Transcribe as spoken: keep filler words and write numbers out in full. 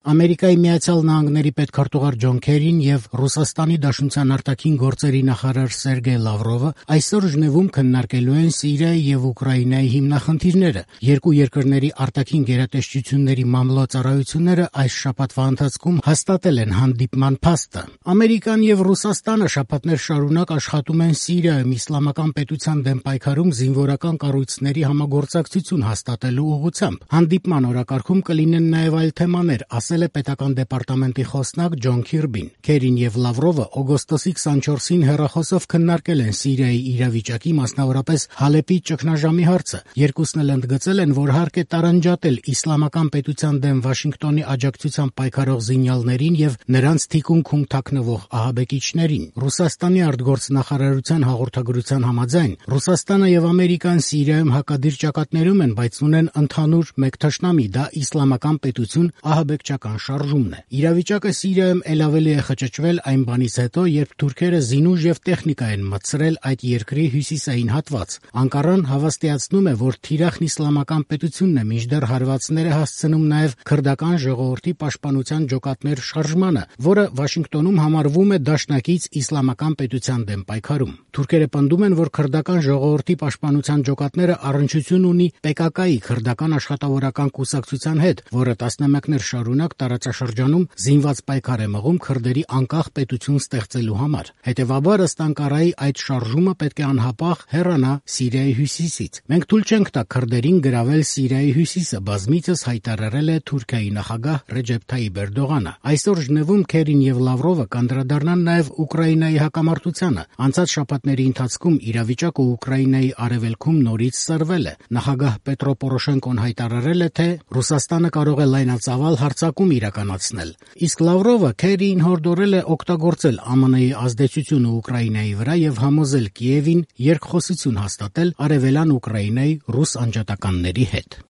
Ամերիկայի Միացյալ Նահանգների պետքարտուղար Ջոն Քերին եւ Ռուսաստանի Դաշնության արտաքին գործերի նախարար Սերգեյ Լավրովը այսօր Ժնևում քննարկելու են Սիրիայի եւ Ուկրաինայի հիմնախնդիրները։ Երկու երկրների արտաքին գերատեսչությունների մամլոյցարայությունները այս շաբաթվա ընթացքում հաստատել են հանդիպման փաստը։ Ամերիկան եւ Ռուսաստանը շաբաթներ շարունակ աշխատում են Սիրիայում իսլամական պետության դեմ պայքարում զինվորական կառույցների համագործակցություն հաստատելու ուղղությամբ։ Հանդիպման օրակարգում կլինեն նաեւ այլ թեմաներ, ասել է պետական դեպարտամենտի խոսնակ Ջոն Քիրբին։ Քերին եւ Լավրովը օգոստոսի քսանչորսին հեռախոսով քննարկել են Սիրիայի իրավիճակի, մասնավորապես Հալեպի ճգնաժամի հարցը։ Երկուսն էլ ընդգծել են, որ հարկ է տարանջատել իսլամական պետության դեմ Վաշինգտոնի աջակցությամբ պայքարող զինյալներին եւ նրանց թիկունքում թաքնվող ահաբեկիչներին։ Ռուսաստանի արտգործնախարարության հաղորդագրության համաձայն Ռուսաստանը եւ Ամերիկան Սիրիայում հակադիր ճակատներում են, բայց ունեն ընդհանուր մեկ թշնամի՝ դա իսլամական պետություն, ահաբեկչական շարժումն է։ Իրավիճակը Սիրիայում ել ավելի է խճճվել այն բանից հետո, երբ թուրքերը զինուժ եւ տեխնիկա են մտցրել այդ երկրի հյուսիսային հատված։ Անկարան հավաստիացնում է, որ թիրախն իսլամական պետությունն է, մինչդեռ հարվածներ է հասցնում նաեւ քրդական ժողովրդի պաշտպանության ջոկատներ շարժմանը, որը Վաշինգտոնում համարվում է դաշնակից իսլամական պետության դեմ պայքարում։ Թուրքերը պնդում են, որ քրդական ժողովրդի պաշտպանության ջոկատները առնչություն ունի Պե Կա Կայի քրդական աշխատավորական կուսակցության հետ, որը տասնամյակներ շարունակ տարածաշրջանում զինված պայքար է մղում քրդերի անկախ պետություն ստեղծելու համար։ Հետևաբար, ըստ Անկարայի, այդ շարժումը պետք է անհապաղ հեռանա Սիրիայի հյուսիսից։ Մենք թույլ չենք տա քրդերին գրավել Սիրիայի հյուսիսը, բազմիցս հայտարարել է Թուրքիայի նախագահ Ռեջեփ Թայիպ Էրդողանը։ Այսօր Ժնևում Քերին եւ Լավրովը կանդրադառնան նաեւ Ուկրաինայի հակամարտությանը։ Անցած շաբաթների ընթացքում իրավիճակը Ուկրաինայի արևելքում նորից սրվել է։ Նախագահ Պետրո Պորոշենկոն հայտարարել է, թե Ռուսաստանը կարող է լայնածավալ հարձակում իրականացնել։ Իսկ Լավրովը Քերիին հորդորել է օգտագործել Ամը Նեի ազդեցությունը Ուկրաինայի վրա եւ համոզել Կիևին երկխոսություն հաստատել արևելյան Ուկրաինայի ռուս անջատականների հետ։